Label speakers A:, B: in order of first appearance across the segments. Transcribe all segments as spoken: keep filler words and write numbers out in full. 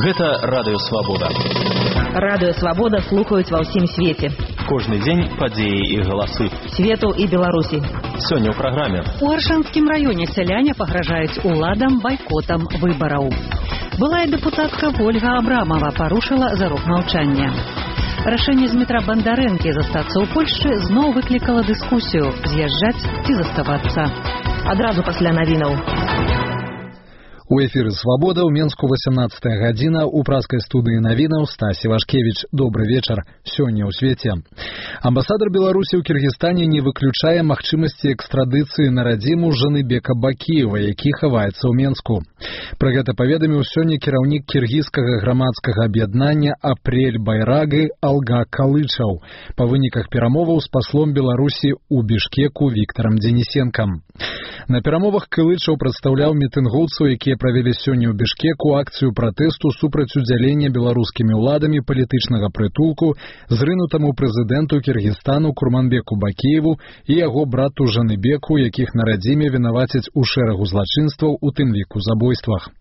A: Гэта Радыё Свабода.
B: Радыё Свабода слухаюць ва ўсім свеце.
A: Кожны дзень падзеі і галасы
B: свету і Беларусі.
A: Сёння ў праграме.
C: У Аршанскім раёне сяляне пагражаюць уладам байкотам выбараў. Былая дэпутатка Ольга Абрамова парушыла зарок маўчання. Рашэнне з метра Бандарэнкі застацца ў Польшчы зноў выклікала дыскусію, з'язджаць ці заставацца.
B: Адразу пасля навінаў.
D: У эфіры «Свабода» ў Менску восемнадцатая гадзіна, у праскай студыі навінаў Стась Івашкевіч. Добры вечар. Сёння ў свеце. Амбасадар Беларусі ў Кіргізстане не выключае магчымасці экстрадыцыі на радзіму Жаныбека Бакіева, які хаваецца ў Менску. Пра гэта паведаміў сёння кіраўнік кіргізскага грамадскага аб'яднання «Апрель Байрагы» Алга Калычаў па выніках перамоваў з паслом Беларусі ў Бішкеку Віктарам Дзенісенкам. На перамовах Калычаў прадстаўляў мітынгоўцаў, якія правялі сёння ў Бішкеку акцыю пратэсту супраць удзялення беларускімі ўладамі палітычнага прытулку зрынутаму прэзідэнту Кіргізстану Курманбеку Бакіеву і яго брату Жаныбеку, якіх на радзіме вінавацяць у шэрагу злачынстваў, у тым ліку забойствах.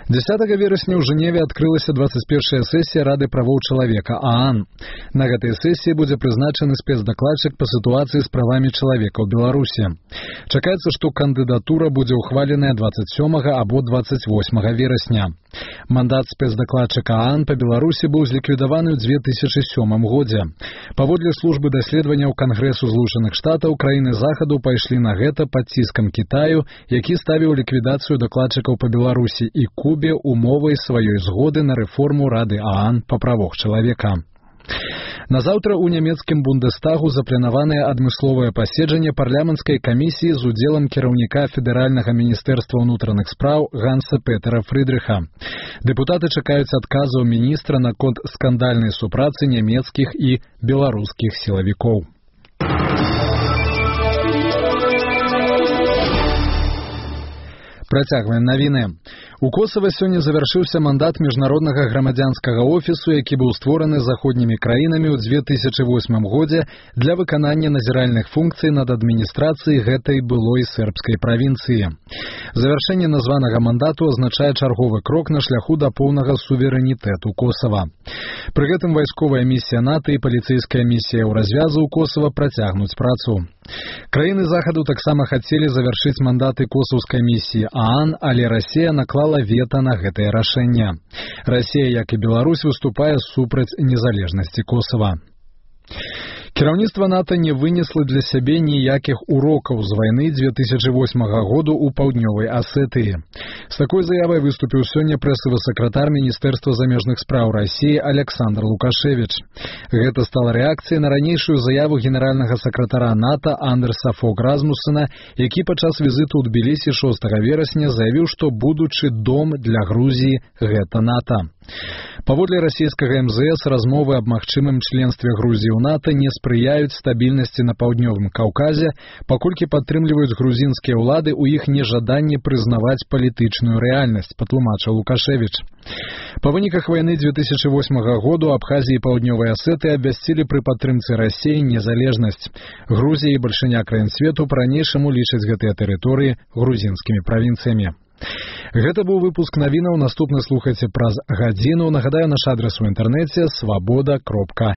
D: дзесятага верасня ў Жэневе адкрылася дваццаць першая сесія Рады правоў чалавека ААН. На гэтай сесіі будзе прызначаны спецдакладчык па сітуацыі з правамі чалавека ў Беларусі. Чакаецца, што кандыдатура будзе ўхваленая дваццаць сёмага або дваццаць восьмага верасня. Мандат спецдакладчыка ААН па Беларусі быў зліквідаваны ў дзве тысячы сёмым годзе. Паводле службы даследаванняў Кангрэсу Злучаных Штатаў, краіны захаду пайшлі на гэта пад ціскам Кітаю, які ставіў ліквідацыю дакладчыкаў па Беларусі і Кубе умовай сваёй згоды на рэформу Рады ААН па правах чалавека. Назаўтра ў нямецкім Бундестагу запланаванае адмысловае паседжанне парламенцкай камісіі з удзелам кіраўніка федэральнага міністэрства ўнутраных спраў Ганса Петера Фрыдрыха. Дэпутаты чакаюць адказаў міністра наконт скандальнай супрацы нямецкіх і беларускіх сілавікоў. Працягваем навіны. У Косава сёння завяршыўся мандат міжнароднага грамадзянскага офісу, які быў створаны заходнімі краінамі ў дзве тысячы восьмым годзе для выканання назіральных функцый над адміністрацыяй гэтай былой сербскай правінцыі. Завяршэнне названага мандату азначае чарговы крок на шляху да поўнага суверэнітэту Косава. Пры гэтым вайсковая місія НАТО і паліцэйская місія ў развязу ў Косава працягнуць працу. Краіны захаду таксама хацелі завяршыць мандаты косаўскай місіі ААН, але Расія наклала вета на гэтае рашэнне. Расія, як і Беларусь, выступае супраць незалежнасці Косава. Кіраўніцтва НАТО не вынесла для сябе ніякіх урокаў з вайны дзве тысячы восьмага году ў паўднёвай Асетыі. З такой заявай выступіў сёння прэсавы сакратар Міністэрства замежных спраў Расіі Александр Лукашевіч. Гэта стала рэакцыяй на ранейшую заяву генеральнага сакратара НАТО Андерса Фог Размусена, які падчас візіту ў Тбілісі шостага верасня заявіў, што будучы дом для Грузіі – гэта НАТО. Паводле расійскага эм зэ эс, размовы аб магчымым членстве Грузіі ў НАТО не спрыяюць стабільнасці на паўднёвым Каўказе, паколькі падтрымліваюць грузінскія ўлады ў іх нежаданні прызнаваць палітычную рэальнасць, патлумачыў Лукашевіч. Па выніках вайны дзве тысячы восьмага году Абхазія і Паўднёвай Асеты абвясцілі пры падтрымцы Расіі незалежнасць. Грузія і бальшыня краін свету па-ранейшаму лічаць гэтыя тэрыторыі грузінскімі правінцыямі. Гэта быў выпуск навінаў, наступны слухайце праз гадзіну. Нагадаю, наш адрес у інтэрнэце свабода кропка